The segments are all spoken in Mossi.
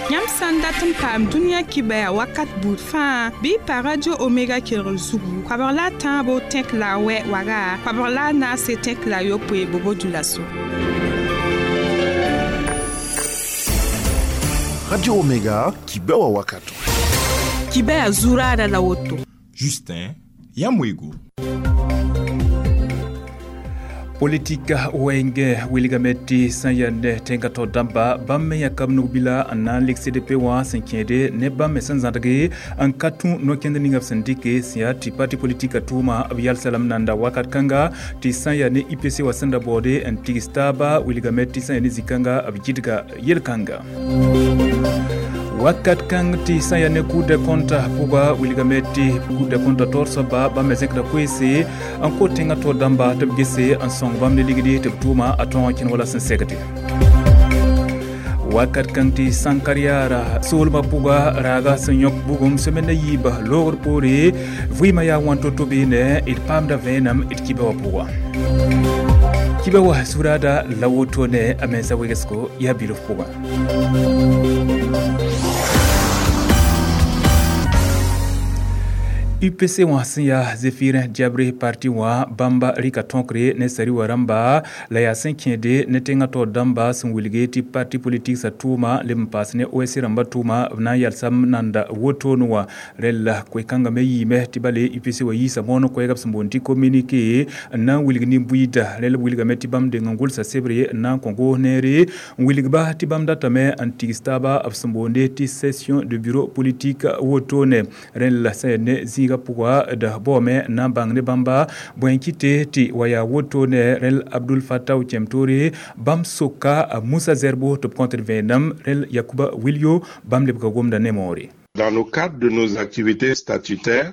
Yãmb sã n dat n paam dũniyã kibɛa wakat buud fãa bɩ y pa Radio Omega kelgr zugu koabg la a tãabo tẽk la a wɛ waga koabg la a naase tẽk la a yopoe bobo dulaso. Radio Omega, kibɛa wakato. Kibɛa zuraada la woto. Justin Yamwego. Politika wɛɛngɛ wilgame tɩ sẽn yaa ne tẽngã tao dãmba bãmb me yãka b nug-bila n na n lik CDP wã sẽn kẽede ne bãmb me sẽn zãdge n ka tũ no-kẽnd ninga b sẽn dɩke sẽn yaa tɩ parti politika tʋʋma b yalsa lame nanda wakat kãnga tɩ sã n yaa ne IPC wã sẽn da baoode n tigs taaba wilgame tɩ sã n yaa ne zĩ-kãnga b gɩdga yel-kãnga. Wakat kãng tɩ sã n yaa ne Cour des comptes pʋga wilgame tɩ Cour des comptes taoor soaba bãmb me zẽkda koeese n kot tẽngã taoor dãmba tɩ b gese n sõng bãmb ne ligdi tɩ b tʋʋma a tõog n kẽn wala sẽn segde. Wakat kãng tɩ Sãnkar-yaara soolmã pʋga raaga sẽn yõk bugum semaine a yiiba loogr poore vɩɩmã yaa wãn to-to beene d paamda vẽenem d kibã wã pʋga. Kibã wã zuraada la woto ne a mensa wegsgo yaa bilf pʋgã. UPC wã sẽn yaa Zephirin Diabré parti wã bãmba rɩka tõkre ne sari wã rãmba la yaa sẽn kẽede ne tẽngã taoor dãmba sẽn wilge tɩ parti politik sã tʋʋma leb n paas ne OSC rãmbã tʋʋma b na n yalsam nanda wotone wã rẽl la koe-kãngã me yiime tɩ bale UPC wã yiisa moon koɛɛga b sẽn boond tɩ communiqué n na n wilg nin-buiida rẽl b wilgame tɩ bãmb deng n gʋlsa sebre n na n kõ goos neere n wilgba tɩ bãmb datame n tigs taaba b sẽn boonde tɩ session de bureau politique wotone rẽl la sẽn yaa ne zĩiga pʋga da baoome n na n bãng ne bãmba bõe n kɩte tɩ wa yaa woto ne rẽl Abdul Fattah Tiemtoré bãmb soka Moussa Zerbo tɩ b kõt d vẽenem rẽl Yakuba Wilio bãmb lebga gomda ne moore. Dans le cadre de nos activités statutaires,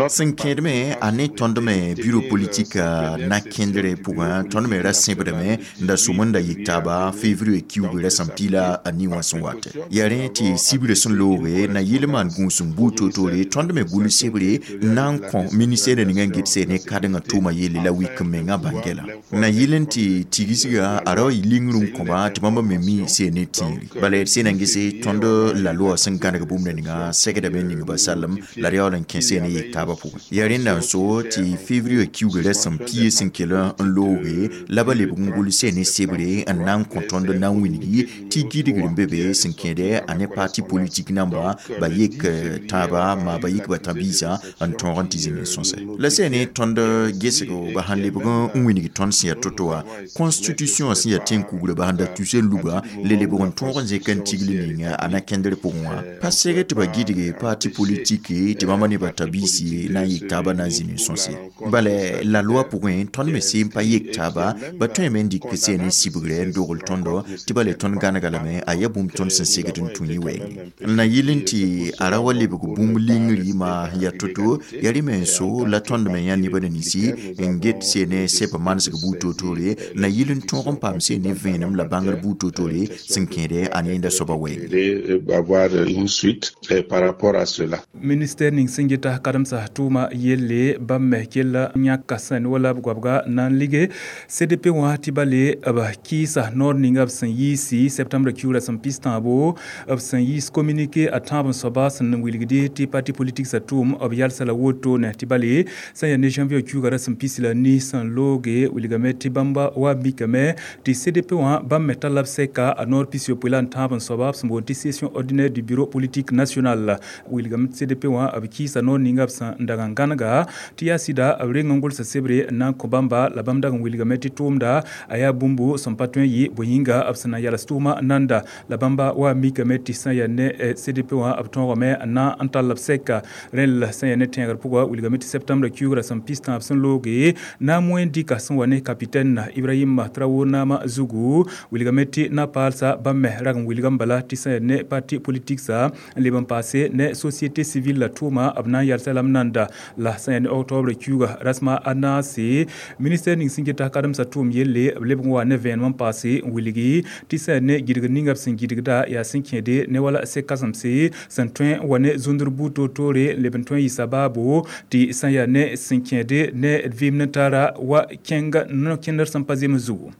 sẽn kẽedme a ne tõnd me bureau politique na kẽndre pʋgã tõnd me ra sẽbdame n da sʋm n da yik taaba février kiuug rasem pila a ni wã sẽn wate yaa rẽ tɩ sibrã sẽn looge na yɩl maan gũus n buud toor-toore tõnd me gʋls sebre n na n kõ ministɛɛr ninga n get ne kadengã tʋʋma yelle la wik n mengã bãngɛla na yɩl n tɩ tigsga a ra wa yɩ lingr n kõba tɩ bãmba me mi see ne tĩiri bala d sẽn na n gese tõnd la loa sẽn gãneg bũmb ninga segdame ning ba salem la d yaool n kẽ see ne yik taaba pʋgẽ yaa rẽnda n so tɩ février kiuug rasem pie sẽn kell n looge la ba lebg n gʋlse ne sebre n na n kõ tõnd na n wilgi tɩ gɩdgr n be be sẽn kẽede a ne parti politik namba ba yek tãaba maa ba yik ba tã-biisã n tõog n tɩ zĩnd n sõsɛ la sẽn ne tõnd gesgo ba sãn lebg n wilg tõnd sẽn yaa to-to wã constitution sẽn yaa tẽn-kugrã ba sãn da tus n luga le lebg n tõog n zẽk n tigl ning a na kẽndr pʋgẽ wã pa seg tɩ ba gɩdge parti politique tɩ bãmba ne ba tã-biisi na n yik taaba na n zĩnd n sõse bala la loi pʋgẽ tõnd me seen pa yek taaba ba tõeme n dɩk seen n sibgrɛ n dogl tõndo tɩ bala tõnd gãnega lame a yaa bũmb tõnd sẽn segd n tũ yẽ wɛɛngẽ n na yɩl n tɩ a ra wa lebg bũmb lingri maa sẽn yaa to-to yaa rẽ me n so la tõnd me yã nebã ninsi n get seen seb manesg buud toor-toore na yɩl n tõog n paam seen ne vẽenem la bãngr buud toor-toore sẽn kẽede a ne soaba wɛɛngẽ. Avoir une suite par rapport à cela. Ministère ning sẽn geta kademsa tʋʋma yelle bãmb me kella yãka sẽn wala b goabga na n lige CDP wã tɩ bale b kɩɩsa noor ninga b sẽn yiisi septembre kiugrã sẽn pis tãabo b sẽn yiis communiqué a tãab n soaba sẽn wilgde tɩ parti politique sa tʋʋm b yalsa la wotone tɩ bale sẽn yaa ne janvier kiugrã rasem pis la ni sẽn looge wilgame tɩ bãmba wa mikame tɩ CDP wã bãmb me talla b sɛka a noor pis yopoe la n tãab n soaba b sẽn boond tɩ session ordinaire du bureau politique national wilgame tɩ CDP wã b kɩɩsa noor ninga b sẽn n dag n gãnega tɩ yaa sɩda b reng n gʋlsa sebre n na n kõ bãmba la bãmb dag n wilgame tɩ tʋʋmda a yaa bũmbu sẽn pa tõe n yɩ bõe yĩnga b sẽn na n yals tʋʋma nanda la bãmba wa mikame tɩ sã n yaa ne CDP wã b tõogame n na n tall b sɛka rẽl sẽn yaa ne tẽegr pʋga wilgame tɩ septembre kiugrã sẽn pis tãab sẽn looge na n moẽ dɩka sẽn wa ne capitaine Ibrahim Traoré naamã zugu wilgame tɩ na paalsa bãmb me rag n wilgame bala tɩ sã n yaa ne parti politique sa n leb n paase ne société civile la tʋʋma b na n yalsa lame nanda la sã n yaa ne octobre kiuga rasma a naase ministère ning sẽn geta kademsã tʋʋm yelle b lebg n wa ne vẽenem n paase n wilgi tɩ sã n yaa ne gɩdgr ninga b sẽn gɩdgda yaa sẽn kẽede ne wala sek-kãsemse sẽn tõe n wa ne zũndr buud toor-toore n leb n tõe n yɩ sabaabo tɩ sã n yaa ne sẽn kẽede ne d vɩɩm ne tara wa kẽnga no-kẽndr sẽn pa zems zugu.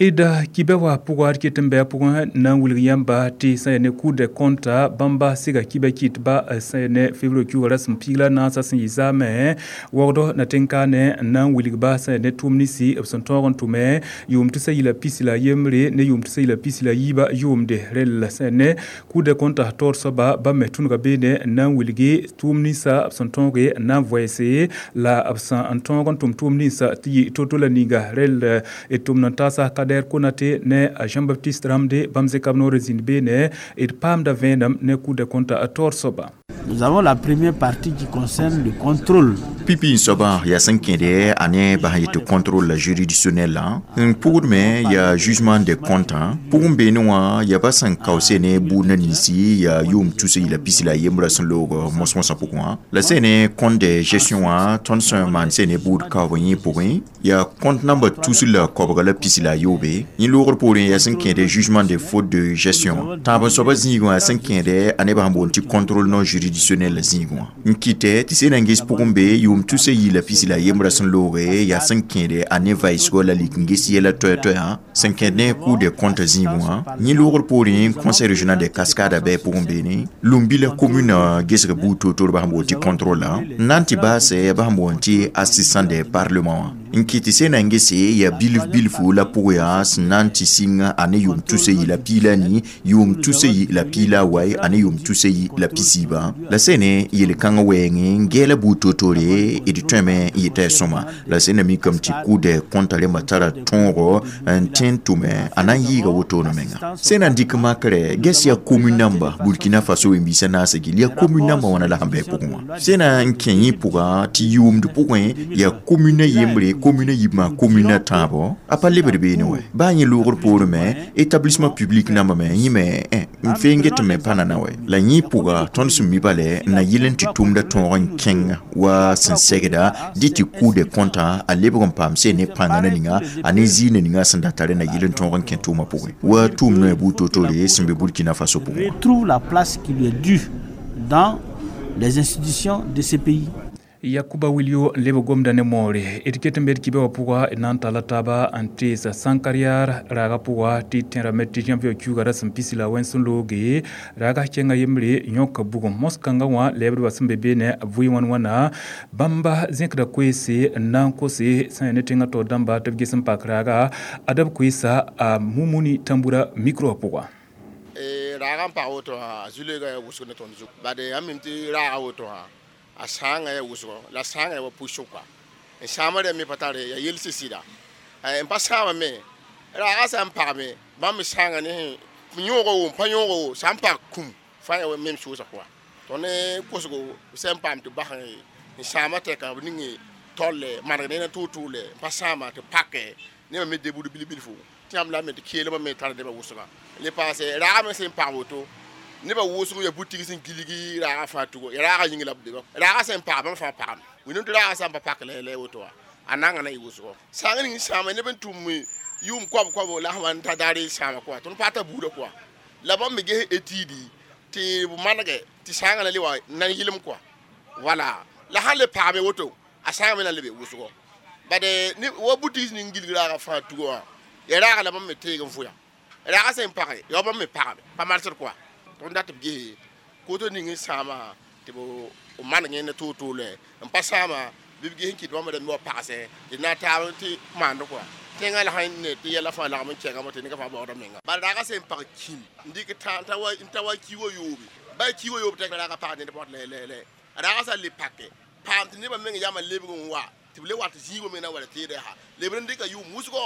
D kibɛ wã pʋga d ket n bɩ a pʋgẽ na n wilg yãmba tɩ sã yaa ne Cour des comptes bãmba sɩga kibɛ kɩt ba sã yaa ne février kiuugã rasem piig la naasã sẽn yɩ zaamẽ waoogd na tẽn-kaane n na n wilg-ba sã yaa ne tʋʋm ninsi b sẽn tõog n tʋme yʋʋm tʋsa yila pis la yembre ne yʋʋm tʋsa yila pis la yiibã yʋʋmde. Rel sã yaa ne Cour des comptes taoor soaba bãmb me tũnuga beene n na n wilgi tʋʋm ninsã b sẽn tõoge n na n voɛɛse la b sẽn tõog n tʋm tʋʋm ninsã tɩ yɩ to-to la ninga. Rel d tʋmd n taasa Kader Konate ne Jean-Baptiste Ramde bãmb zẽka b noor zĩnd beene d paamda vẽenem ne Cour des comptes taoor soaba. Nous avons la première partie qui concerne le contrôle. Pipi n soabã yaa sẽn kẽede a ne bas n yetɩ contrôle juridictionnel n pʋgd me yaa jugement des comptes pʋgẽ beene wã yaa ba sẽn kaoose ne buudna ninsi yaa yʋʋm tus yila pis la yembrã sẽn loog mos-mosã pʋgẽ wã la sẽn ne compte de gestion wã tõnd sẽn maan sẽn ne buud kaoobã yẽ pʋgẽ yaa compte namba tus la koabga la pis la a yoobe. Yẽ loogr poorẽ yaa sẽn kẽede jugement des fautes de gestion. Tãab n soabã zĩigẽ wã sẽn kẽede a nebã sẽn boond tɩ contrôle non juridictionnel la zĩigẽ wã n kɩtɛ tɩ sẽn na n ges pʋgẽ be yʋʋm tusa yila pis la yembrã sẽn looge yaa sẽn kẽede a ne vaɩsgɔ la lik n ges yɛla toɛ-toɛã sẽn kẽed ne Cour des comptes zĩigẽ wã. Yẽ loogr poorẽ Conseil régional des Cascades bɩ pʋgẽ beene Loumbila commune gesg buud toor-toor ba sẽn boond tɩ contrôle n na n tɩ baasɛ ba sẽn boond tɩ assistant des parlement wã n kɩt tɩ sẽn na n gese yaa bilf bilfu la pʋg yaa sẽn na n tɩ sɩng a ne yʋʋm tusa yi la piila ni yʋʋm tusa yi la piila a wai a ne yʋʋm tusa yi la pisiibã la sẽn ne yel-kãngã wɛɛngẽ n gɛɛla buud toor-toore d tõeme n yeta sõma la sẽn na mikame tɩ Cour des comptes rẽmbã tara tõogo n tẽ n tʋme a na n yɩɩga wotone menga. Sẽn na n dɩk makrɛ ges yaa commune namba Burkina Faso wẽn-biisã naasã gill yaa commune namba wãna la sẽn bɩ pʋgẽ wã sẽn na n kẽ yẽ pʋga tɩ yʋʋmd pʋgẽ yaa commune yembre commune yibmã commune tãabo a pa lebd beene wɛ baa yẽ loogr poorẽ me établissement public namba me yẽ me n feen get me pa nana wɛ la yẽ pʋga tõnd sẽn mi bale n na yɩl n tɩ tʋmda tõog n kẽng wa sẽn segda dɩ tɩ Cour des comptes a lebg n paam sẽn ne pãnga na ninga a ne zĩig na ninga sẽn da tare na yɩl n tõog n kẽ tʋʋmã pʋgẽ wa tʋʋm noɛ buud toor-toore sẽn be Burkina Faso pʋgẽ. Retrouve la place qui lui est due dans les institutions de ce pays. Yakuba Wilio n leb gomda ne moore d ket n be d kibɛ wã pʋga d na n talla taaba n teesa sãnkaryar raaga pʋga tɩ tẽrame tɩ janvier kiuugã rasem pis la wẽns n looge raaga kẽnga yembre yõka bugum mos-kãngã wã lɛɛbdbã sẽn be beene b vʋɩ wãn wãna bãmba zẽkda koeese n na n kose sã yaa ne tẽngã taoor dãmba tɩ b ges n pak raaga adb koeesa a Mumuni Tãmbura micro wã pʋga. Raaga n pag woto wã a zu-loeega yaa wʋsg ne tõnd zug bade yãmb mim tɩ raaga woto wã a sãanga yaa wʋsgo la sãanga yaa wa pʋsg kɔa n sãama rẽ me pa tare yaa yels sɩda n pa sãama me raaga sã n pagme bãmb me sãanga ne yõogo wo n pa yõogo wo sã n pag kũm fãa yaa mem sʋʋsa pʋga tõnd ne kosgo sẽn paam tɩ bas n sãama tɛka b ning tolle maneg ne na tʋʋ-tʋʋle n pa sãama tɩ pake nebã me debud bil-bilfu tɩ yãmb la me tɩ keelmã me tar nebã wʋsga le paase raaga me sẽn pag woto nebã wʋsg yaa butig sẽn gilgi raaga fãa tugo ya raaga yĩng la b leba raaga sẽn pag bãmb fãa pagame wĩndame tɩ raaga sã n pa pak la woto wã a nanga na yɩ wʋsgo sãng ning sãama neb n tʋm yʋʋm koab-koabo la sẽn wa n ta daare sãama kɔa tõnd paata buudã kɔa la bãmb me ges étude tɩ b manege tɩ sãangã na le wa nan yɩlem kɔa wala la sãn le pagme woto a sãanga me na le be wʋsgo bade wa butig ning gilg raaga fãa tugo wã ya raaga la bãmb me teeg n vʋya raaga sẽn page ya bãmb me pagame pa marsd kɔa tõnd dat b ges koto ning n sãama tɩ b maneg ne tʋʋ-tʋʋlɛ n pa sãama bɩ b ges n kɩt bãmb rãmb wa pagsɛ tɩ na taab tɩ maand kɔa tẽngã la sãn ne tɩ yɛla fãa lagm n kẽngame tɩ nega fãa baoodã menga bala raaga sẽn pag kĩm n dɩk n ta wa ki wa yoobe ba ki wa yoob tɛk la raaga pag ned pɔt lɛ raaga sã le pake paam tɩ nebã meng yama lebg n wa tɩ b le wat zĩigã meng na n wa teedã yaa lebd n dɩka yʋʋm wʋsgo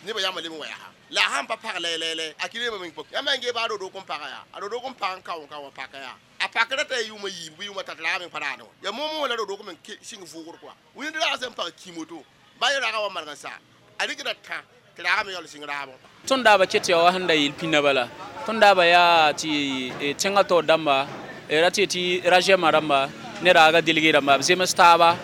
nebã yama leb n wa yaa la sãn pa pag lɛ a kɩ nebã meng pok yãmb n gee baa rodok n paga yaa a rodok n pag n kao n ka wa paka yaa a pakra t'a yʋʋma yiib bɩ yʋʋma tat raaga meng pa raadẽ wã yaa moom la rodok meng sɩng vʋʋgr kɔa wĩnd raaga sẽn pag kĩm woto ba yẽ raaga wa maneg n sa a rɩkda tã tɩ raaga me yaool sɩng raabẽ. Tõnd daaba ket yaa wa sẽn da yeel pĩnã bala tõnd daaba yaa tɩ tẽngã taoor dãmba ra tɩ tɩ ragɛmã rãmba ne raaga delge rãmba b zems taaba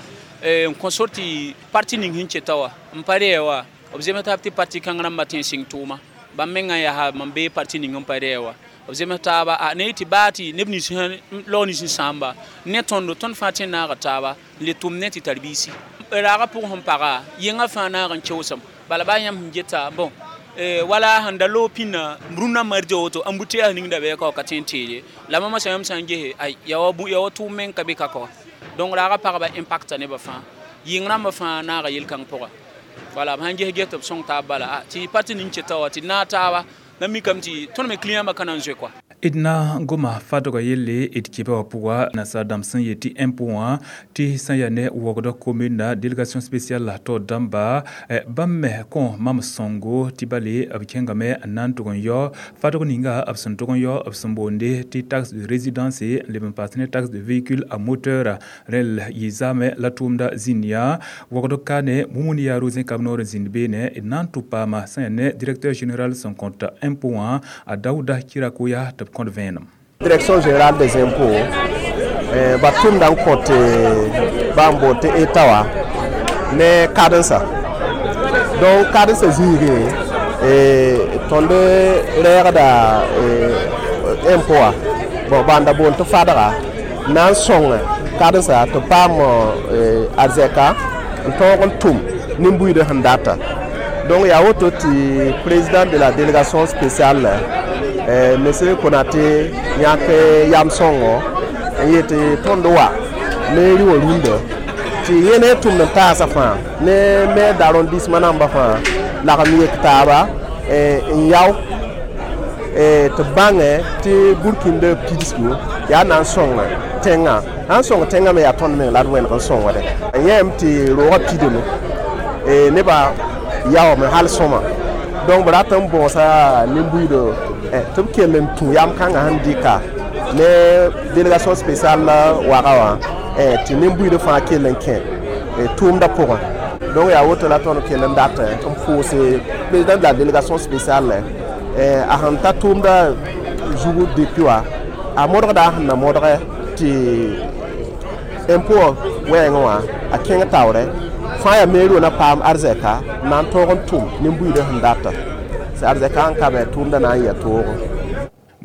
n kõ sor tɩ parti ning sẽn keta wã n pa rɛɛ wã b zems taab tɩ parti kãng rãmbã tẽ n sɩng tʋʋma bãmb mengã yaa mam bee parti ning n pa rɛɛ wã b zems taaba a ne tɩ baa tɩ neb nins laoog nins n sãamba ne tõndo tõnd fãa tẽ n naaga taaba n le tʋm ne tɩ tar biisi raaga pʋgẽ sẽn paga yẽngã fãa naag n keoosem bala baa yãmb sẽn geta bon Wala sẽn da loog pĩnã rũnnã mardi woto embouteillage ning da bɩ ka ka tõe n teede la mama sã yãmb sã n gese ay yaa wa tʋʋm meng ka be ka kɔ. Donc raaga pagba impacta nebã fãa, yɩng rãmbã fãa naaga yel-kãng pʋga. Wala b sãn ges ges tɩ b sõng taab bala tɩ parti ning keta wa tɩ naag taaba la mikame tɩ tõnd me client bã ka na n zoe kɔa. D na n goma fadgã yelle d kɩba wã pʋga nasaar dãmb sẽn yet tɩ impôt wã tɩ sẽn yaa ne wogdã commune na délégation spéciale la taoor dãmba bãmb me kõ mam sõngo tɩ bale b kẽngame n na n tʋg n yao fadg ninga b sẽn tʋg n yao b sẽn boonde tɩ taxe de résidence n leb n paas ne taxe de véhicule à moteur rẽl yɩ zaame la tʋʋmda zĩnd yã wogd ka ne Mumuni Yaaro zẽkab noor n zĩnd beene d na n tʋ paama sẽn yaa ne directeur général sẽn kõt impôt wã a Daouda Kirakoya tɩ b kõt vẽenem. Direction générale des impôts ba tʋmda n kõt bãmb boond tɩ État wã ne kadensa. Donc kadensa zĩigẽ tõnd rɛɛgda impôt wã bon bãnda boond tɩ fadga na n sõng kadensa tɩ paam arzɛka n tõog n tʋm nin-buiidã sẽn data. Donc yaa woto tɩ président de la délégation spéciale monsieur Konaté yãk yam sõngo n yet tõnd wa ne rɩ wã rũndã tɩ yẽ ne tʋmd n taasã fãa ne maire d'arrondissement nambã fãa lagm yek taaba n yao tɩ bãngẽ tɩ burkĩndã pidsgu yaa na n sõng tẽngã sã n sõng tẽngã me yaa tõnd meng la d wẽneg n sõngde yẽem tɩ roogã pidame nebã yaoome hal sõma. Donc b rat n bõosa nin-buiidã tɩ b kell n tũ yam kãngã sẽn dɩka ne délégation spéciale waga wã tɩ nin-buiidã fãa kell n kẽ tʋʋmdã pʋgẽ. Donc yaa woto la tõnd kell n dat n pʋʋse président de la délégation spéciale a sẽn ta tʋʋmdã zugu depuis wã a modgda a sẽn na modge tɩ impôt wɛɛngẽ wã a kẽng taoorɛ fãa yaa mairie wã na paam arzɛka n na n tõog n tʋm nin-buiidã sẽn data arzɛka n ka be tʋʋmdã na n yaa toogo.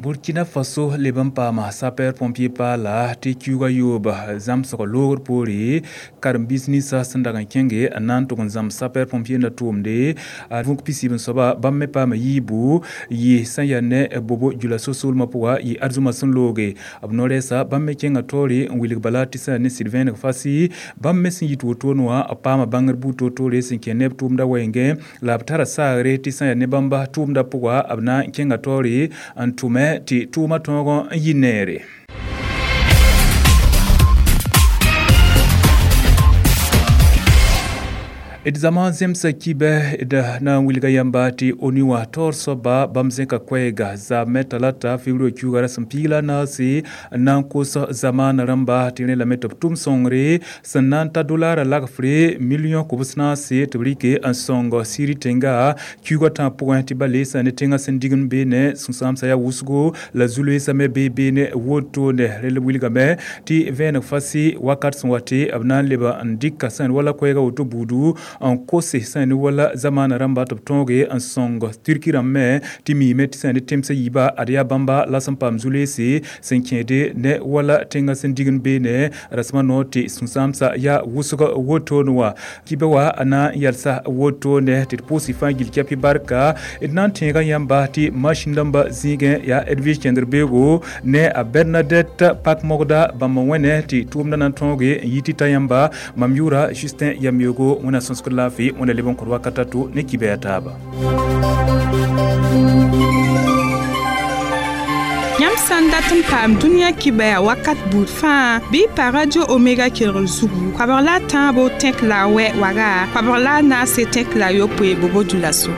Burkina Faso leb n paama sapeur pompier paala tɩ kiuugã yooba zãmsg loogr poore karen-biis ninsã sẽn dag n kẽnge n na n tʋg n zãms sapeur pompier na tʋʋmde a vũk pisiib n soaba bãmb me paama yiibu yɩ sẽn yaa ne bobo jula so-soolmã pʋga yɩ arzũmã sẽn looge b no-rɛɛsa bãmb me kẽnga taoore n wilg bala tɩ sẽn yaa ne sɩd vẽeneg fasi bãmb me sẽn yit wotone wã b paama bãngr buud toor-toore sẽn kẽ neb tʋʋmda wɛɛngẽ la b tara saagre tɩ sẽn yaa ne bãmba tʋʋmda pʋga b na n kẽnga taoore n tʋme tɩ tʋʋmã tõog n yɩ neere. D zãma zemsa kibɛ d na n wilga yãmba tɩ ONU wã taoor soaba bãmb zẽka koɛɛga zaamɛ talata februar kiuugã rasem piig la naase n na n kos zamaana rãmba tɩ rẽ lame tɩ b tʋm sõngre sẽn na n ta dolara lagfre million kobs naase tɩ b rɩke n sõng Siri tẽnga kiuugã tãag pʋgẽ tɩ ba le sã ne tẽngã sẽn digend beene sũ-sãamsã yaa wʋsgo la zu-loeesã me bee beene wotone rel wilgame tɩ vẽeneg fasi wakat sẽn wa tɩ b na n leb n dɩka sẽn wala koɛɛgã woto buudu n kose sẽn ne wala zamaana rãmba tɩ b tõoge n sõng Turki rãmb me tɩ miime tɩ sẽn ne temsã yiiba ad yaa bãmba la sẽn paam zu-loeese sẽn kẽede ne wala tẽngã sẽn digend beene rasmã noor tɩ sũ-sãamsã yaa wʋsg wotone wã kibã wã a na n yalsa wotone tɩ d pʋʋs y fãa gill kɛpɩ barka d na n tẽega yãmba tɩ masĩn dãmba zĩigẽ yaa Edwige kẽndr beoogo ne a Bernadette Pak-Mogda bãmb n wẽne tɩ tʋʋmdã na n tõoge n yi tɩ ta yãmba mam yʋʋra Justin Yamyogo wẽna sõsgd laafɩ wẽna leb n kõ wakat a to ne kibɛ a taaba. Yãmb sã n dat n paam dũniyã kibɛa wakat buud fãa bɩ y pa Radio Omega kelgr zugu koabg la a tãabo tẽk la a wɛ waga koabg la a naase tẽk la a yopoe bobo dulaso.